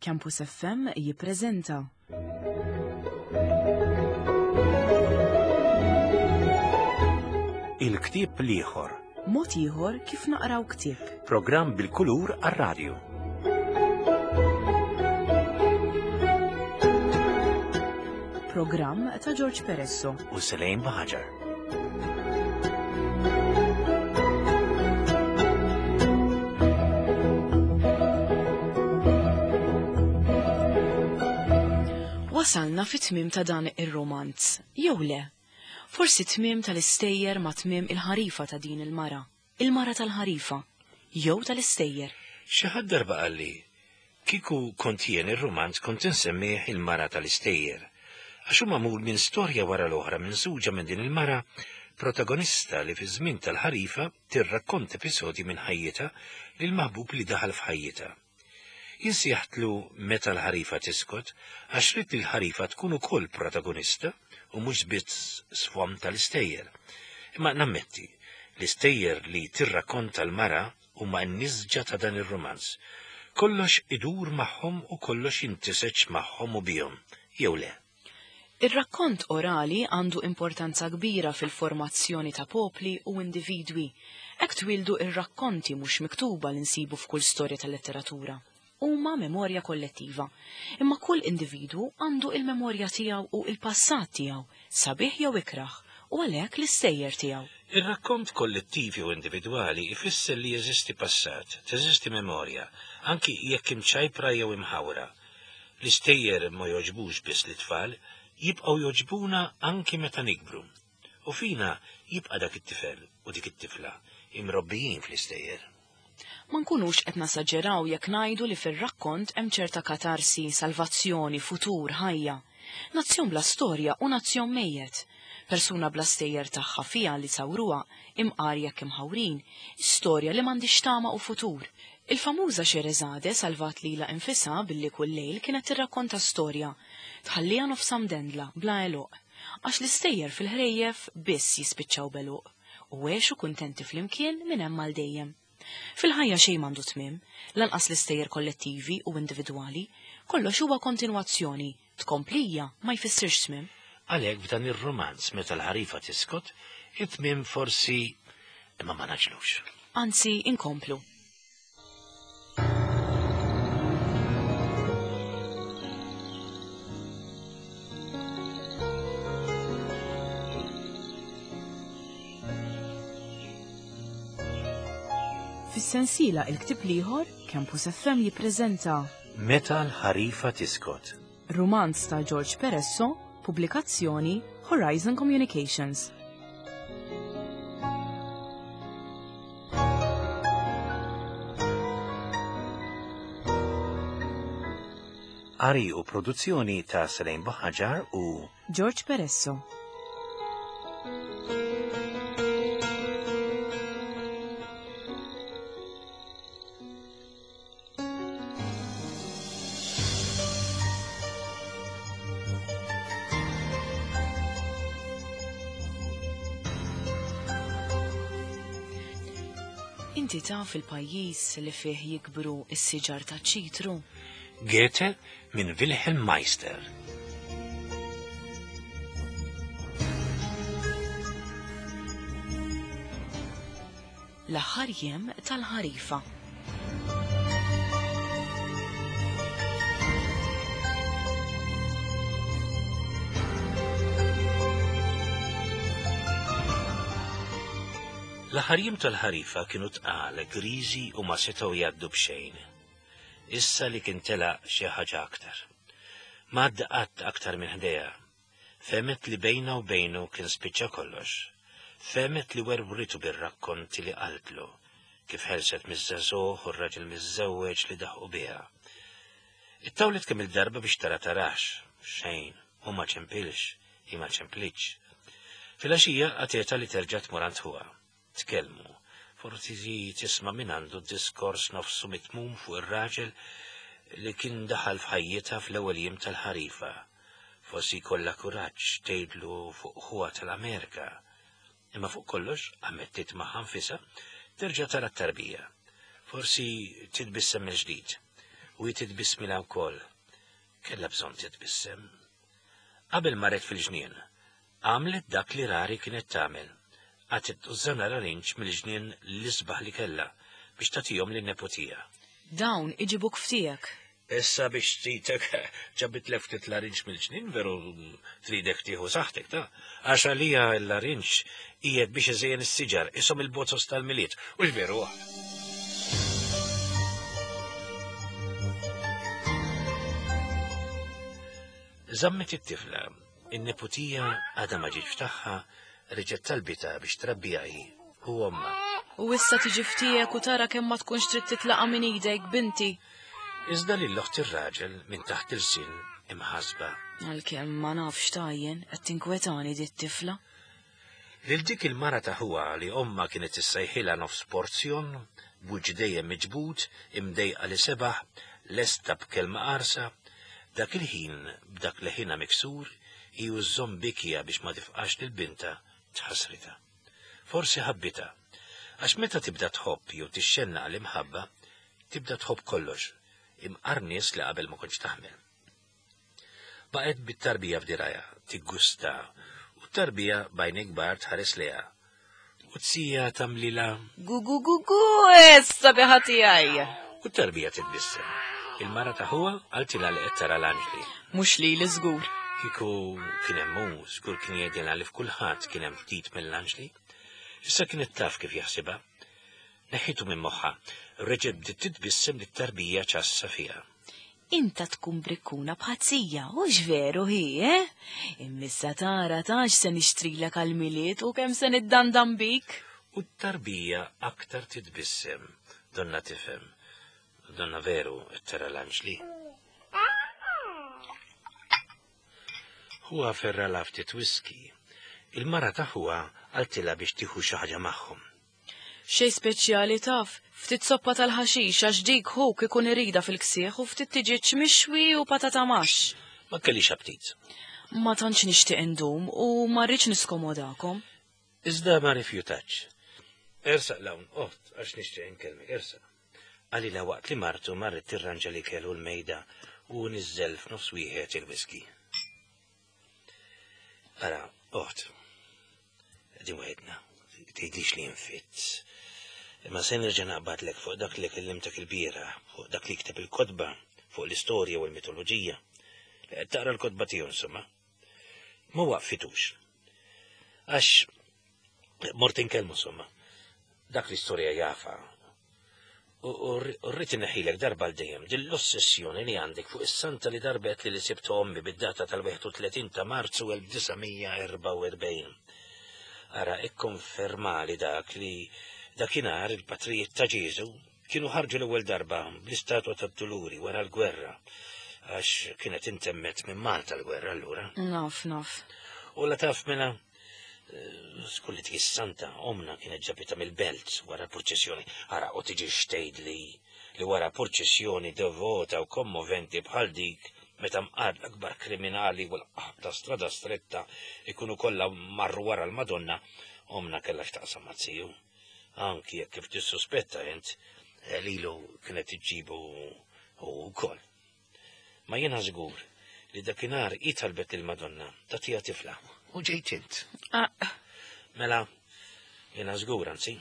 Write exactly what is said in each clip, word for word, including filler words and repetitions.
Campus F M jippreżenta Il-ktieb l-ieħor. Mod ieħor kif naqraw ktieb. Programm bil-kulur għar-radju. Programm ta' George Peresso. U Selejn Baħaġar. Wasalna fit-tmiem ta' dan ir-romanz, jew le? Forsi tmiem tal-istejjer ma' tmiem il-ħarifa ta' din il-mara, il-mara tal-ħarifa, jew tal-istejjer. Xi ħadd darba qalli, kieku kont jien ir-romanz kont insemmih il-mara tal-istejjer. Għax hu magħmul minn storja wara l-oħra minsuġa minn din il-mara protagonista li fi żmien tal-ħarifa tirrakkonta episodji minn ħajjitha lil maħbub li daħal f'ħajjitha. Jien sejjaħtlu Meta l-ħarifa tiskot għax ridt li l-ħarifa tkun ukoll protagonista u mhux biss sfond tal-istejjer. Imma nammetti, l-istejjer li tirrakkonta l-mara huma n-nisġa ta' dan ir-romanz. Kollox idur magħhom u kollox jintiseġ magħhom u bihom, jew le. Ir-rakkont orali għandu importanza kbira fil-formazzjoni ta' popli u individwi. Hekk twildu ir-rakkonti mhux miktuba li nsibu f'kull storja tal-letteratura. Huma memorja kollettiva. Imma kull individwu għandu il-memorja tiegħu u il-passat tiegħu, sabiħ jew ikraħ, u għalhekk l-istejjer tiegħu. Ir-rakkont kollettiv jew individwali ifisser li jeżisti passat, teżisti memorja, anki jekk imċajpra jew imħawra. L-istejjer ma jogħġbux biss lit-tfal, jibqgħu jogħġbuna anki meta nikbru. U fina jibqa' dak it-tifel u dik it-tifla imrobbijin fl-istejjer. Ma nkunux qed nasaġeraw jekk ngħidu li fir-rakkont hemm ċerta katarsi, salvazzjoni, futur, ħajja. Nazzjon bla storja u nazzjon mejjet. Persuna bla stejjer tagħha fiha li sawruha imqar jekk imħawrin, storja li m'għandix tama u futur. Il-famuża Xerezade salvat lilha infisha billi kull lejl kienet tirrakkonta storja, tħalliha nofsha mdendla bla għeluq, għax l-istejjer fil-ħrejjef biss jispiċċaw b'għeluq u għexu kuntenti flimkien minn hemm għal dejjem. Fil-ħajja xejn m'għandu tmiem, lanqas l-istejjer kollettivi u individwali, kollox huwa kontinwazzjoni, tkomplija ma jfissirx tmiem. Għalhekk f'dan ir-romanz Meta l-ħarifa tiskot, it-tmiem forsi imma ma naġlux. Anzi, inkomplu. Fis-sensiela Il-Ktieb l-Ieħor, Campus F M jippreżenta Meta l-ħarifa tiskot. Romanz ta' George Peresso, pubblikazzjoni Horizon Communications. Qari u produzzjoni ta' Selejn Buħaġar u George Peresso. Inti taf il-pajjiż li fih jikbru s-siġar ta' ċitru? Goethe minn Wilhelm Meister. L-aħħar jiem tal-ħarifa. L-aħħar jiem tal-ħarifa kienu tqal, griżi u ma setgħu jgħaddu b'xejn. Issa li kien telaq xi ħaġa aktar. Ma għadda qatt aktar minn ħdejha. Fehmet li bejna u bejnu kien spiċċa kollox. Fehmet li werwritu bir-rakkonti li qaltlu, kif ħelset miż-żagħżugħ u r-raġel miżżewweġ li daħqu biha. Ittawlet kemm il-darba biex tara tarax, xejn, u ma ċempilx, hi ma ċemplitx. Filgħaxija għatietha li terġa' tmur għand ħuha. Tkellmu, forsi tisma' minn għandu diskors nofsu mitmum fuq ir-raġel li kien daħal f'ħajjitha fl-ewwel jiem tal-ħarifa. Forsi jkollha kuraġġ tgħidlu fuq ħuha tal-Amerika. Imma fuq kollox, ammettit magħha nfisha, terġa' tara t-tarbija. Forsi titbissem mill-ġdid. U jititbismilha wkoll. Kellha bżonn titbissem. Qabel marret fil-ġnien, għamlet dak li rari kienet tagħmel. Qatgħet tużżana larinġ mill-ġnien l-isbaħ li kellha biex tagħtihom lin-neputija. Dawn iġibuk ftiegħek. Issa biex titek ġabitlek ftit larinġ mill-ġnien veru tridek tieħu saħħtek ta' għax għalija l-larinġ qiegħed biex iżejjen is-siġar ishom il-bozos tal-Milied u veru. Żammet it-tifla, in-neputija għadha ma ġietx tagħha, reġgħet talbitha biex trabbija hi u ommha. U issa tiġi ftiegħek u tara kemm ma tkunx trid titlaqa' minn idejk, binti. Iżda lil oħt ir-raġel minn taħt il-sin imħasba. Għalkemm ma nafx tajjen qed tinkwetani di t-tifla. Lil dik il-mara ta' ħuha li ommha kienet issejħilha nofs porzjon, b'wiċċ dejjem miġbud, imdejqa li sebaħ, lesta b'kelma qarsa, dak il-ħin b'dak li ħina miksur, hi żżomm bikja biex ma tifqax lil binta tħassritha. Forsi ħabbitha, għax meta tibda tħobb jew tixxennaq l-imħabba, tibda tħobb kollox, imqar nies li qabel ma kontx taħmel. Baqgħet bit-tarbija f'dirajha, tiggusta, u t-tarbija b'għajnejn kbar tħares lejha. U t-sija tagħmlilha Gu gu gu gu, issa biħa tiegħi. U t-tarbija titbissem. Il-mara ta' ħuha qaltilha li qed tara l-anġli. Mhux lili żgur. Kieku kien hemm hu, żgur kien jgħidilha li f'kulħadd kien hemm ftit mill-anġli. Issa kienet taf kif jaħsibha. Neħħitu minn moħħha, reġgħet bdiet titbissem lit-tarbija ċassa fiha. Inta tkun brikkuna bħazzija, hux veru hi, eh? Immissa tara tax se nixtrilek għal-Milied u kemm se niddandan bik. U t-tarbija aktar titbissem, donna tifhem. Donna veru tara l-anġli. Huwa ferra ftit whisky. Il-mara ta' ħuha qaltilha biex tieħu xi ħaġa magħhom. Xej speċjali taf, ftit soppa tal-ħaxix għax dik ħuk ikun irida fil-ksieħ u ftit tiġiġ mixwi u patata maxx. Ma kellix aptit. Ma tantx nixtieq indum u ma rridx niskomodakom. Iżda ma rifjutax. Ersaq l-hawn, oħt, għax nixtieq inkellmek, ersaq. Qalilha waqt li martu marret tirranġa li kellu l-mejda u niżżel f'nofs wieħed il-whisky. Ara, oħt, din waħedna, tgħidlix li nfitt. Imma se nerġa' naqbadlek fuq dak li kellimtek il-bieraħ, fuq dak li kteb il-kotba, fuq l-istorja u l-mitoloġija. Li qed taqra l-kotba tiegħu insomma. Ma waqfitux. Għax mort inkellmu insomma. Dak l-istorja jafa. U rrid inneħħilek darba l dejjem din l-ossessjoni li għandek fuq is-santa li darbet li li sibt ommi bid-data tal-wieħed u tletin ta' Marzu elf disa' mija erbgħa u erbgħin. Ara, ikkonfermali dak li dakinhar il-patrijiet ta' Ġesu kienu ħarġu l-ewwel darba bl-istatwa tad-Duluri wara l-gwerra, għax kienet intemmet minn Malta l-gwerra allura. Naf, naf. U la taf mela, skulli dik is-santa omna kienet ġabitha mill-belt wara l-purċissjoni. Ara, u tiġi xtejdli li wara purċissjoni devota u kommoventi bħal dik meta mqar l-akbar kriminali u l-qahb ta' strada stretta ikunu kollha marru wara l-Madonna, omna kellha x'taqsam ma' ziju. Anki jekk kif tissuspetta int, lilu kienet iġġibu u wkoll. Ma jiena żgur li dakinhar hi talbet lill-Madonna tagħtiha tifla u ġejt int. Ah. Mela, jiena żgur anzi,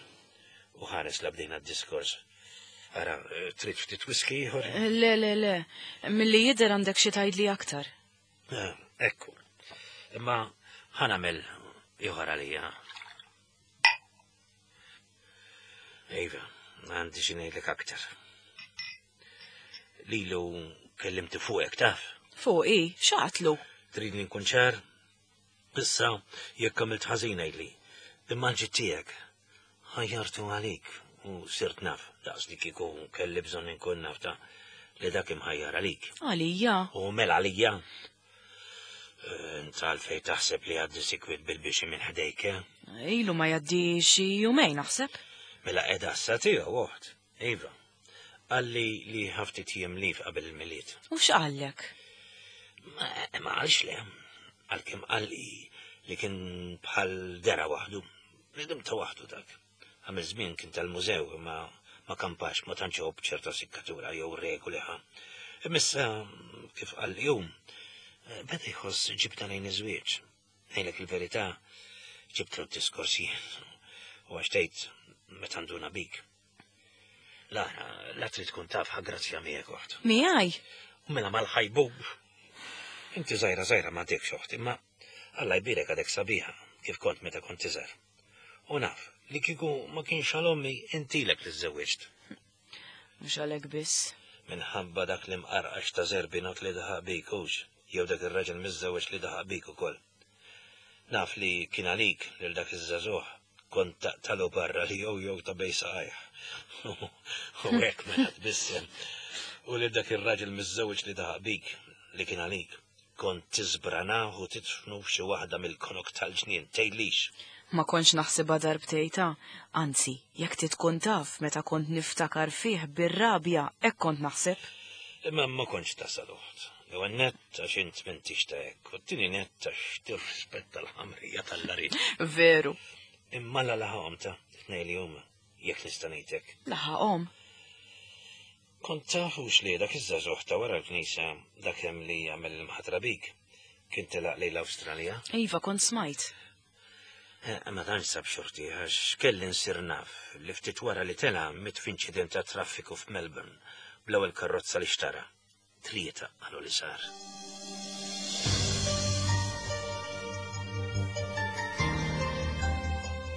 u ħares la bdejna d-diskors. Ara, trid ftit whisky ieħor? Le, le, le, milli jidher għandek xi tgħidli aktar. Eh, ekku. Imma ħa nagħmel ieħor għalija. Iva, għandi xi ngħidlek aktar. Lilu kellimti fuqek, taf? Fuqi, x'għatlu? Tridni nkun ċar? Issa, jekk għamilt ħażin ngħidli. Imma l-ġid tiegħek ħajjartu għalik u sirt naf, daqs li kieku kelli bżonn inkun naf ta' li dak imħajjar għalik. Għalija? U mela għalija. Int għalfejn taħseb li għaddi sikwit bil-bixi minn ħdejk, eh? Ilu ma jgħaddi xi jumejn naħseb. Mela qiegħda issa tiegħu oħt. Iva. Qalli li ħaftit jiem lif qabel il-Milied. U x'qallek? Ma, ma qalx le. Għalkemm qalli li kien bħal dera waħdu. Bniedem ta' waħdu dak. Għamil żmien kien tal-mużew, imma Ma kampax, ma tantx iħobb ċerta sikkatura jew regoli ħa. Imissa, kif qal jum, beda jħoss ġibta lejn iż-żwieġ. Ngħidlek il-verità, ġibtlu d-diskors jien. U għax tgħid meta nduna bik. La, la trid tkun taf ħa grazzja miegħek oħt. Miegħi? U mela mal-ħajbub. Inti żgħira żgħira m'għadekx oħt, imma Alla jbierek għadek sabiħa kif kont meta kont iżgħar. U naf li kieku ma kienx għal ommi intilek li żżewwiġt. Mhux għalhekk biss. Minħabba dak li mqarqax ta' Zerbinot li daħaq bik hux, jew dak ir-raġel miżżewweġ li daħaq bik ukoll. Naf li kien għalik lil dak iż-żagħżugħ kont taqtalu barra li jew jew ta' bej saqajh. U hekk mela tbissem. U lil dak ir-raġel miżżewweġ li daħaq bik li kien għalik kont tiżbranah u titfnu f'xi waħda mill-konok tal-ġnien, tgħidlix. Ma kontx naħsibha darbtejta, anzi, jekk titkun taf meta kont niftakar fih bir-rabja, hekk kont naħseb. Imma ma kontx tasal oħt. L-ewwel nett għax int m'intix ta' hekk, u t-tieni nett għax tirrispetta l-ħamrija tal-larit. Veru. Imma la laħaqhom ta' tnejn li huma, jekk nista' ngħidlek. Laħaqhom? Kont tafux li dak iż-żagħżugħ ta' wara l-knisja dak hemm li jagħmel l-imħatra bik kien telaq lejn l-Awstralja? Iva, kont smajt. Ma tantx sab xorti għax kelli nsir naf li ftit wara li tela' miet f'inċident ta' traffiku f'Melbourne bl-ewwel karozza li xtara. Tlieta qalu li sar.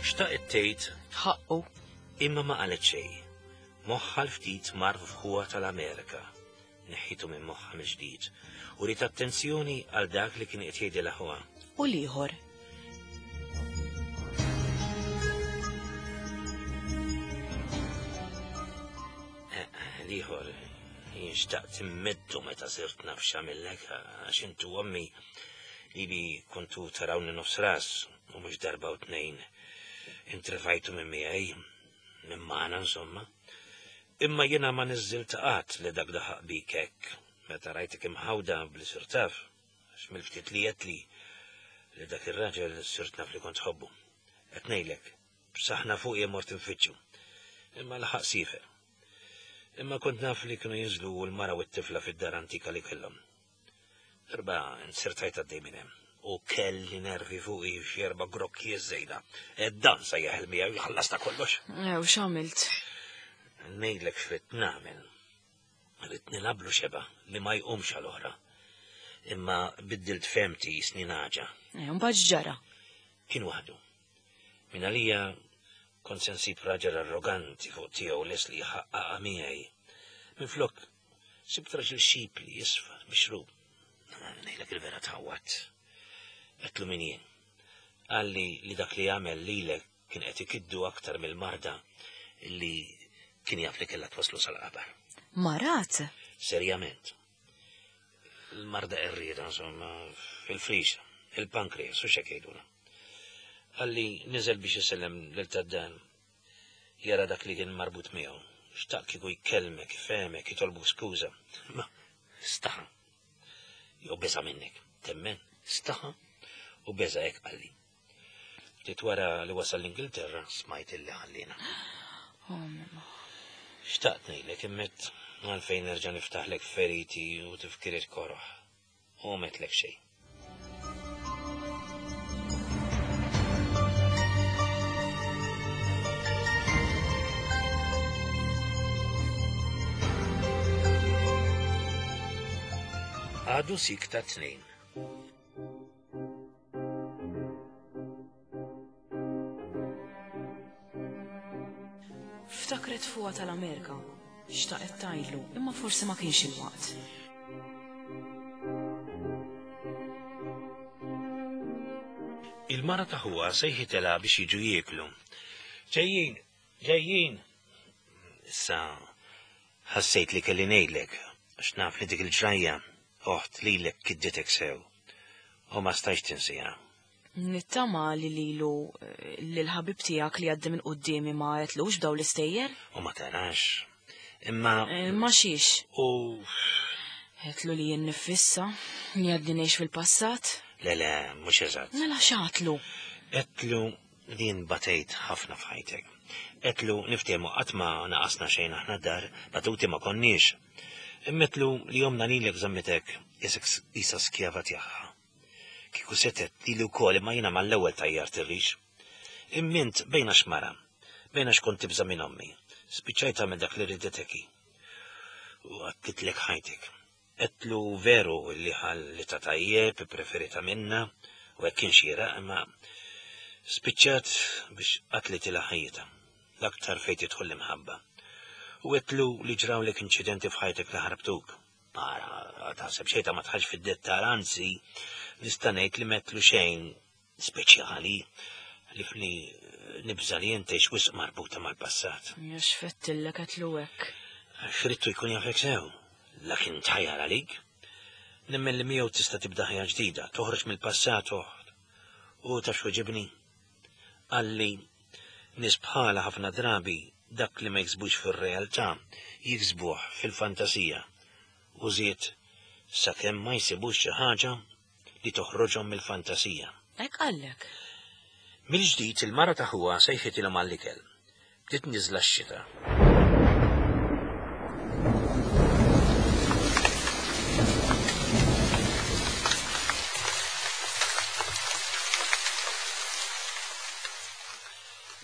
Xtaqet tgħid ħaqqu. Imma ma qalet xejn. Moħħa l-ftit mar f'ħuha tal-Amerika. Neħħitu minn moħħa mill-ġdid u rid attenzjoni għal dak li kien qed jgħidilha ħuha. U l-ieħor. L-ieħor jien xtaqt immeddu meta sirt naf x'għamillek għax intu ommi li li kontu tarawni nofs ras u mhux darba u tnejn intrefajtu minn miegħi, minn magħna insomma. Imma jiena ma niżżilt qatt li dak daħaq bik hekk meta rajtek imħawda bli sirt taf, għax mill-ftit li għedt li li dak ir-raġel sirt naf li kont tħobbu. Qed ngħidlek, b'saħna fuqi mort infittxu. Imma laħaq siefer. Imma kont naf li kienu jinżlu l-mara u t-tifla fid-dar antika li kellhom. Darba nsirtajt għaddej minn hemm u kelli nervi fuqi x'erba' grokki żejda. Ed dan se jeħel miegħu jħallasta kollox. Ew, x'għamilt? Ngħidlek x'rid nagħmel. Rid nilablu xeba li ma jqumx għal oħra. Imma biddilt femti jisni naġa. E, mbagħad x'ġara? Kien waħdu. Min għalija kont se nsib raġel arroganti fuq tiegħu les li jħaqqaqha miegħi. Minflok sibt raġel xipli jisfar mixrub. Ngħidlek il-vera tħawwat. Għedtlu min jien. Qalli li dak li għamel lilek kien qed ikiddu aktar mill-marda li kien jaf li kellha twaslu sal-qabar. Marat? Serjament. Il-marda qerrieda, insomma, fil-frixa, il-pankreas, u x'hekk jgħidulha. Qalli niżel biex isellem lil tad-dan. Jara dak li kien marbut miegħu. Xtaq kieku jkellmek, ifehmek, jitolbu skuża. Ma staħa. Jew beża' minnek. Temmen, staħa u beża' hekk qalli. Ftit wara li wasal l-Ingilterra smajt illi ħallina. Oh, mamma. Xtaqt ngħidlek immet għalfejn nerġa' niftaħlek feriti u tifkiriet koroħ. U metlek xejn. Għadu sik ta' tnejn. Ftakret fuqha tal-Amerika. Xtaqet tgħidlu, imma forsi ma kienx il-waqt. Il-mara ta' ħuha sejħitilha biex jiġu jieklu. Ġejjin, ġejjin. Issa ħassejt li kelli ngħidlek, għax naf li dik il-ġrajja oħt lilek kidditek sew u ma stajx tinsiha. Nittama li lilu lil-ħabib tiegħek li għaddi minn quddiemi ma għetlux b'daw l-istejjer? U ma tarax. Imma Ma xiex. U Għetlu li jien nifissa, li għaddi ngħix fil-passat? Le, le, mhux eżatt. Mela x'għatlu? Għetlu li batejt ħafna f'ħajtek. Għedtlu niftehmu qatt ma naqasna xejn aħna d-dar, batuti ma konniex. Imma għedtlu li ommna lilek żammitek qisha skjava tagħha. Kieku setgħet lili wkoll imma jiena mal-ewwel tajjart ir-rix. Imma int bejna xmara, bejna xkont tibża' minn ommi. Spiċċajt tagħmel dak li riditek hi. U qatlitlek ħajtek. Għedtlu veru li ħallitha tajjeb, preferita minna, u hekk kien xieraq, imma spiċċat biex qatlitilha ħajjitha, l-aktar fejn tidħol l-imħabba. U għedtlu li ġrawlek inċidenti f'ħajtek li ħarbtuk. Ara, taħseb xejta ma tħax fid-dettal, anzi, nista' ngħid li m'għedtlu xejn speċjali li fli nibża li inti wisq marbuta mal-passat. Ja x'fettillek għedtlu hekk. Xridtu jkun jafek sew, lakin tħajjar għalik. Nemmen li miegħu tista' tibda ħajja ġdida, toħroġ mill-passat oħt. U taf x'weġibni? Qalli nies bħala ħafna drabi dak li ma jiksbux fir-realtà jiksbuh fil-fantasija. U żied sakemm ma jsibux xi ħaġa li toħroġhom mill-fantasija. Hekk qallek. Mill-ġdid il-mara ta' ħuha sejħitilhom għall-ikel. Bdiet niżla x-xita.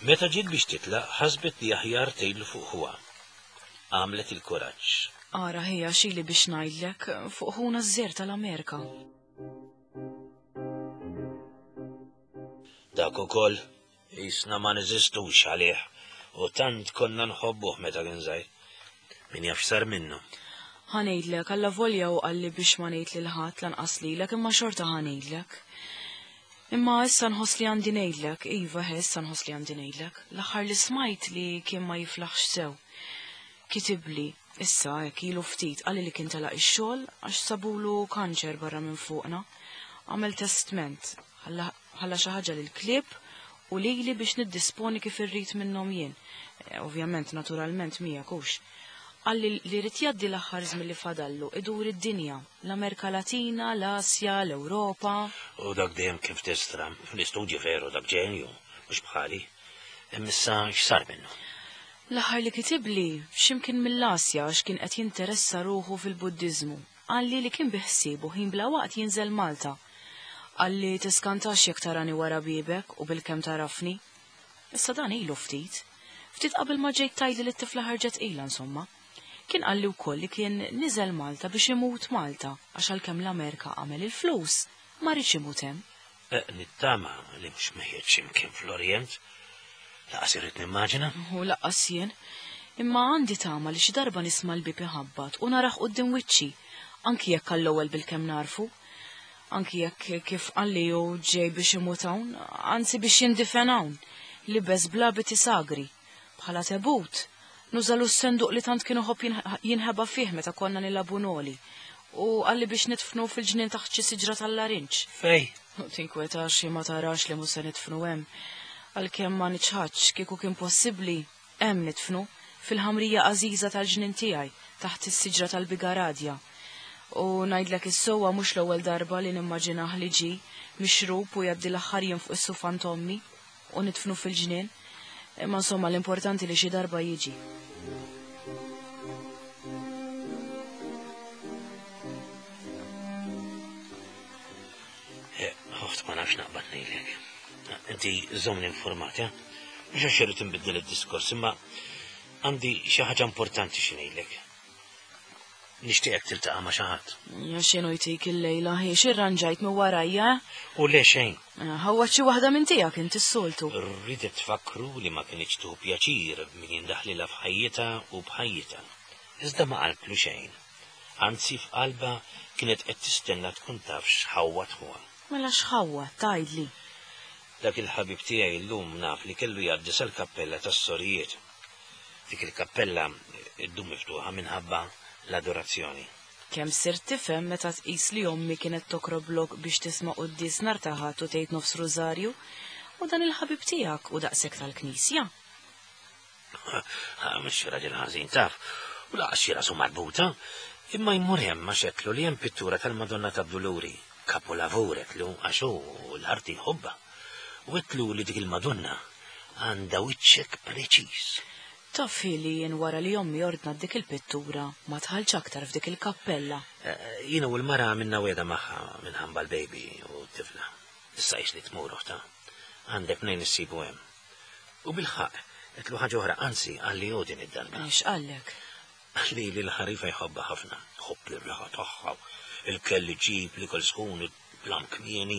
Meta ġiet biex titlaq, ħasbet li aħjar tgħidlu fuq ħuha. Għamlet il-kuraġġ. Ara ħija xili biex ngħidlek fuq ħuna ż-żer tal-Amerika. Dak ukoll jisna ma neżistux għalih u tant konna nħobbuh meta kien żgħir. Min jaf x'sar minnu. Ħa ngħidlek, allavolja u qalli biex ma ngħid lil ħadd lanqas lilek imma xorta ħa ngħidlek. Imma issa nħoss li għandi ngħidlek, iva issa nħoss li għandi ngħidlek. L-aħħar li smajt li kien ma jiflaħx sew. Kitibli, issa hekk ilu ftit qalli li kien telaq ix-xogħol għax sabulu kanċer barra minn fuqna. Għamel testment, ħalla xi ħaġa lill-klieb u lili biex niddisponi kif irrid minnhom jien. Eh, ovvjament, naturalment miegħek hux. Qalli li rrid jgħaddi l-aħħar żmien li fadallu idur id-dinja, l-Amerika Latina, l-Asja, l-Ewropa. U dak dejjem kif tistra, fl-istudji veru dak ġenju, mhux bħali. Imma issa x'sar minnu? L-aħħar li kitibli x'imkien mill-Asja għax kien qed jinteressa ruħu fil-Buddiżmu. Qalli li kien biħsiebu ħin bla waqt jinżel Malta. Qalli tiskantax jekk tarani wara bibek u bilkemm tarafni. Issa dan ilu ftit. Ftit qabel ma ġejt tgħidli li t-tifla ħarġet ilha insomma. Kien qalli wkoll li kien niżel Malta biex imut Malta għax għalkemm l-Amerika għamel il-flus, ma riedx imut hemm. Eh, nittama li mhux mejjet x'imkien fl-Orjent. Lanqas irrid nimmaġina. U lanqas jien. Imma għandi tama li xi darba nisma' l-bieb iħabbat u narah quddiem wiċċi, anki jekk għall-ewwel bilkemm narfu. Anki jekk kif qalli hu ġej biex imut hawn, anzi biex jindifen hawn, libes bl-abiti sagri, bħala tebut. Nużalu s-senduq li tant kienu ħobb jinħeba fih meta konna nilagħbu noli. U qalli biex nitfnu fil-ġnien taħt xi siġra tal-larinġ. Fej? Tinkwetax ma tarax li mhux se nitfnu hemm. Għalkemm ma niċħadx kieku kien possibbli hemm nitfnu fil-ħamrija għażiża tal-ġnien tiegħi taħt is-siġra tal-bigaradja. U ngħidlek is-sewwa mhux l-ewwel darba li nimmaġinah li ġie mixrub u jgħaddi l-aħħar jiem fuq is-sufan t'ommi u nitfnu fil-ġnien. Imma insomma l-importanti li xi darba jiġi. Ħoft ma nafx naqbad ngħidlek. Inti żommni informat, eh? Mhux għax irrid inbiddel id-diskors, imma għandi xi ħaġa importanti xi ngħidlek. Nixtieqek tiltaqa' ma' xi ħadd. Ja x'inhu jtik illejla, hi x'irranġajt minn warajja? U le xejn. Ħawwa xi waħda minn tiegħek inti s-soltu. Rridet tfakru li ma kienx tieħu pjaċir min jindaħlilha f'ħajjitha u b'ħajjitha. Iżda ma qaltlu xejn. Anzi f'qalbha kienet qed tistenna tkun taf x'ħawwa ħuha. Mela x'ħawwa, tgħidli. Dak il-ħabib tiegħi llum naf li kellu jgħaddi sal-kappella tas-sorijiet. Dik il-kappella ddum miftuħa minħabba l-adorazzjoni. Kemm sirt tifhem meta tqis li ommi kienet tokroblok biex tisma' quddies nhar ta' Ħadd u tgħid nofs rużarju, u dan il-ħabib tiegħek u daqshekk tal-knisja. Mhux raġel ħażin taf, u laqas xi rasu marbuta, imma jmur hemm għax għedtlu li hemm pittura tal-Madonna tad-Duluri, kapolavur għedtlu għax hu l-arti jħobbha. U għedtlu li dik il-Madonna għandha wiċċek preċiż. Taf li jien wara li ommi ordnat dik il-pittura ma tħallx aktar f'dik il-kappella. Jiena u l-mara minna weda magħha minħabba l-baby u t-tifla. Issa li tmur oħta. Għandek mnejn issibu hemm. U bil-ħaqq, għedtlu ħaġa oħra, anzi għalli hu din id-darba. X'qallek? Li li l-ħarifa jħobbha ħafna, ħobb l-riħa tagħha, il-kelli ġib, l-ikel sħun, il-plam kmieni,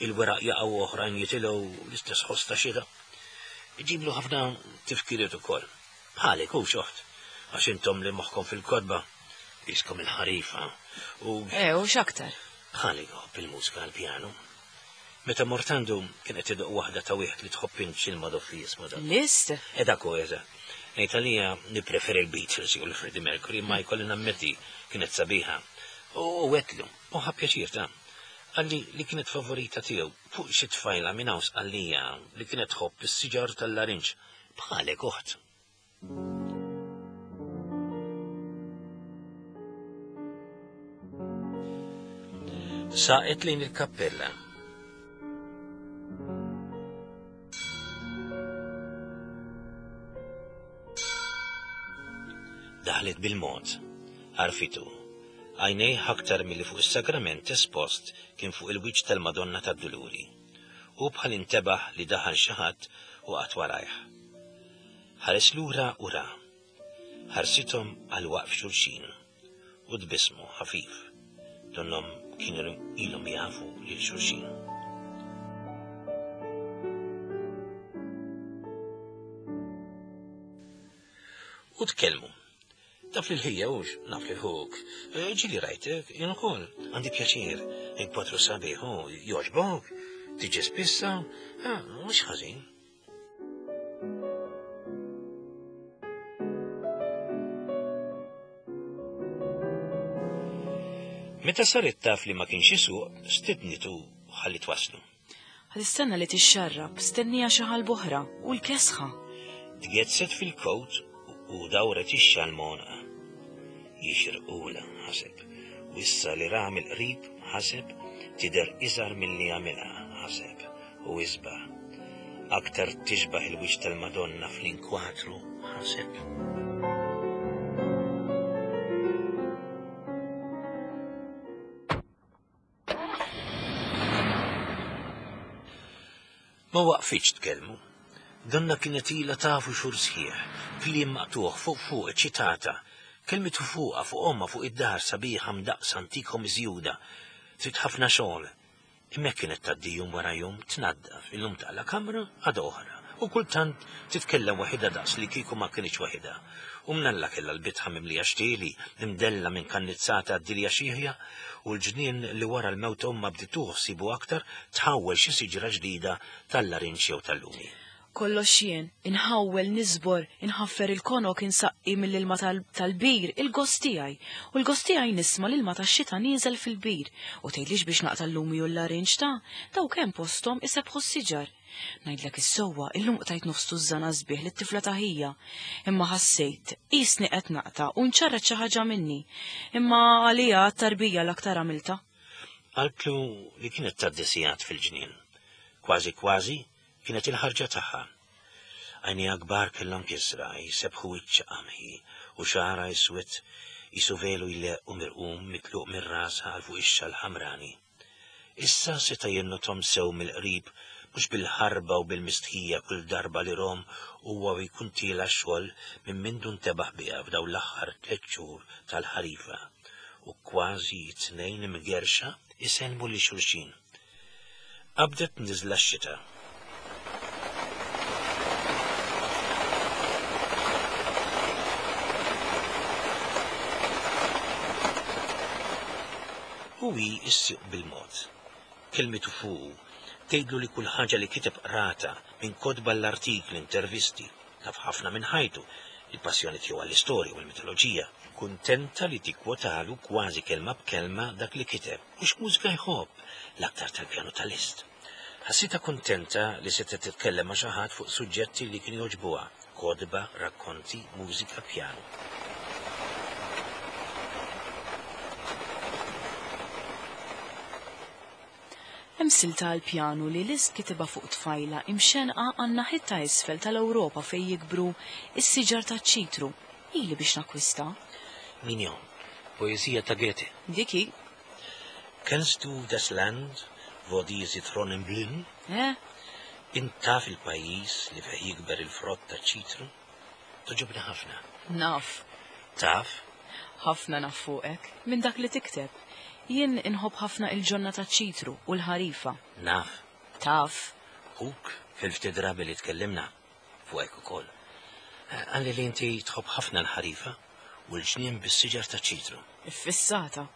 il-weraq jaqgħu oħrajn jitilgħu l-istess ħoss ta' xita. Iġiblu ħafna tifkiriet ukoll. Bħalek hu xoħt, għax intom li moħħkom fil-kotba, iskom il-ħarifa u. Eh, u x'aktar? Bħalek ħobb il-mużika għall-pjanu. Meta mort għandu kien qed idoq waħda ta' wieħed li tħobb int x'il-madoffi jismu dak. Liszt? E dak hu eżatt. Ngħid għalija nippreferi l-Beatles jew l-Freddie Mercury, ma jkolli nammetti kienet sabiħa. U għedtlu, u ħa pjaċir ta' Qalli li kienet favorita tiegħu fuq xi tfajla minn hawn Sqallija li kienet tħobb is-siġar tal-larinġ. Bħalek oħt. Saqet lejn il-kappella. Daħlet bil-mod, għarfitu. Għajnejh aktar milli fuq is-sagrament espost kien fuq il-wiċċ tal-Madonna tad-Duluri. U bħal intebaħ li daħal xi ħadd u qatt warajh. Ħares lura u ra. Ħarsithom għal waqf xulxin u tbismu ħafif. Donnhom kienu ilhom jafu lil xulxin. U tkellmu. Taf li l-ħija ux, naf li ħuk. Ġili rajtek, jien ukoll, għandi pjaċir, inkwatru sabiħ, u jogħġbok, tiġi spissa, mhux ħażin. Meta saret taf li ma kienx isuq, stidnitu ħalli twaslu. Ħa tistenna li tixxarrab, stennija xi ħal boħra u l-kesħa. Tgezzet fil-kowt u dawret ix-xal m'għonqha. Jixirqula, ħaseb. U issa li ra mill-qrib, ħaseb, tidher iżgħar milli għamilha, ħaseb, u isbaħ. Aktar tixbaħ il-wiċċ tal-Madonna fl-inkwatru, ħaseb. Ma waqfitx tkellmu. Donna kienet ilha tafu xhur sħiħ, kliem maqtuħ fuq fuq eċitata. Kelmitu fuqha, fuq omma, fuq id-dar sabiħa mdaqsa antika u miżjuda. Trid ħafna xogħol. Imma kienet tgħaddi jum wara jum tnaddaf, illum taqla' kamra għada oħra. U kultant titkellem waħidha daqs li kieku ma kienx waħidha. U mnalla kellha l-bitħa mimlija xtieli, imdella minn kannizzata għad-dilja xieħja, u l-ġnien li wara l-mewt omma bdiet ħsibu aktar tħawwel xi siġra ġdida tal-larinġ jew tal-lumi. Kollox jien, inħawwel niżbor, inħaffer il-konok insaqqi mill-ilma tal-bir, il-gost tiegħi. U l-gost tiegħi nisma' l-ilma tax-xita nieżel fil-bir. U tgħidlix biex naqta' l-lumi u l-larinġ ta' daw kemm posthom isebħu s-siġar. Ngħidlek is-sewwa, illum qtajt nofs tużżana sbieħ lit-tifla ta' ħija. Imma ħassejt, qisni qed naqta' u nċarret xi ħaġa minni. Imma għalija t-tarbija l-aktar għamilta. Qaltlu li kienet tgħaddi sigħat fil-ġnien. Kważi kważi kienet il-ħarġa tagħha. Għajnejha kbar kellhom kisra, jisebħu wiċċ qamħi u xagħarha iswed qisu velu jleqq u mirqum mitluq minn rasha għal fuq ix-xal ħamrani. Issa seta' jinnothom sew mill-qrib mhux bil-ħarba u bil-mistħija kull darba li rom huwa jkun tiela xogħol minn mindu ntebaħ biha f'dawn l-aħħar tliet xhur tal-ħarifa u kważi tnejn imgerxa isellmu li xulxin. Qabdet niżla x-xita. U hi ssuq bil-mod. Kelmitu fuqu, tgħidlu li kull ħaġa li kiteb qrata minn kotba l-artikli, intervisti, taf ħafna minn ħajtu, il-passjoni tiegħu għall-istorja u l-mitoloġija. Kuntenta li tikkwotalu kważi kelma b'kelma dak li kiteb u x'mużika jħobb, l-aktar tal-pjanu tal-Liszt. Ħassitha kuntenta li setgħet titkellem ma' xi ħadd fuq suġġetti li kienu jogħġbuha, kotba, rakkonti, mużika, pjanu. Hemm silta għall-pjanu li Liszt kitibha fuq tfajla imxenqa għan-naħiet ta' isfel tal-Ewropa fejn jikbru s-siġar taċ-ċitru. Ili biex nakkwista. Mignon, poeżija ta' Goethe. Dik hi. Kennst du das Land, wo die Zitronen blühen? Eh? Int taf il-pajjiż li fih jikber il-frott taċ-ċitru? Togħġobni ħafna. Naf. Taf? Ħafna naf fuqek, minn dak li tikteb. Jien inħobb ħafna il-ġonna taċ-ċitru u l-ħarifa. Naf. Taf. Ħuk fil-ftit drabi li tkellimna fuqek ukoll. Qalli li inti tħobb ħafna l-ħarifa u l-ġnien bis-siġar taċ-ċitru. Iffissata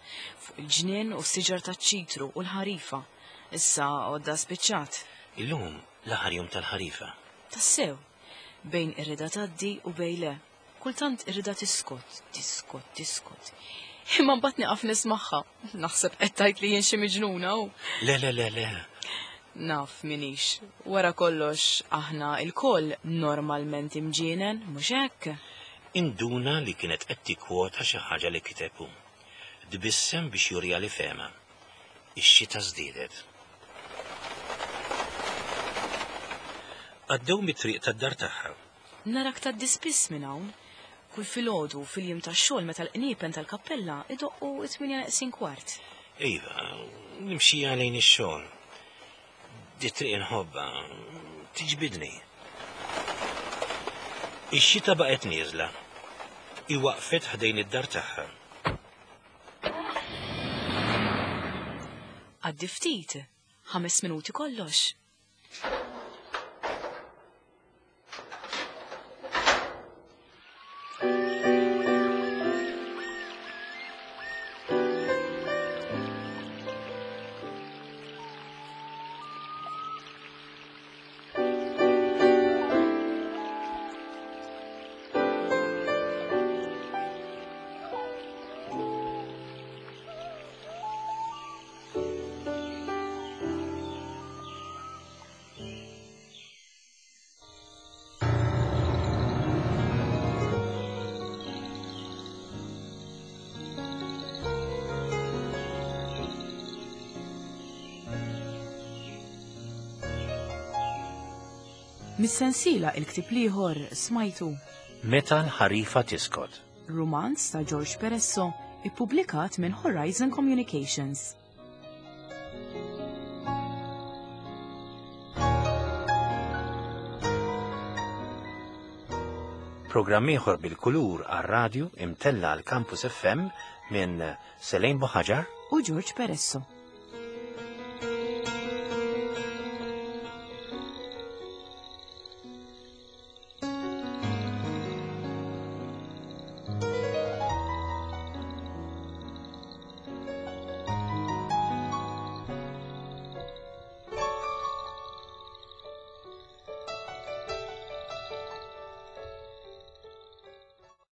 fuq il-ġnien u s-siġar taċ-ċitru u l-ħarifa. Issa għodda spiċċat. Illum l-aħħar jum tal-ħarifa. Tassew, bejn irrida tgħaddi u bejn le. Kultant irrida tiskot, tiskot, tiskot. Imma mbagħad nieqaf nismagħha. Naħseb qed tgħid li jien xi miġnuna u. Le, le, le, le. Naf minix. Wara kollox aħna lkoll normalment imġienen, mhux hekk? Induna li kienet qed tikkwota xi ħaġa li kiteb hu. Tbissem biex juriha li fehma. Ix-xita żdiedet. Għaddew mit-triq tad-dar tagħha. Narak tgħaddi spiss minn hawn. Kull filgħodu fil-jiem tax-xogħol meta l-qniepen tal-kappella idoqqu t-tmienja neqsin kwart. Iva, nimxija lejn ix-xogħol. Di triq inħobbha, tiġbidni. Ix-xita baqgħet nieżla. Hi waqfet ħdejn id-dar tagħha. Għaddi ftit, ħames minuti kollox. Mis-sensiela il-ktieb l-ieħor smajtu Meta l-ħarifa tiskot. Rumanz ta' George Peresso, ippubblikat minn Horizon Communications. Programm ieħor bil-kulur għar-radju imtella għal Campus F M minn Selene Buhagiar u George Peresso.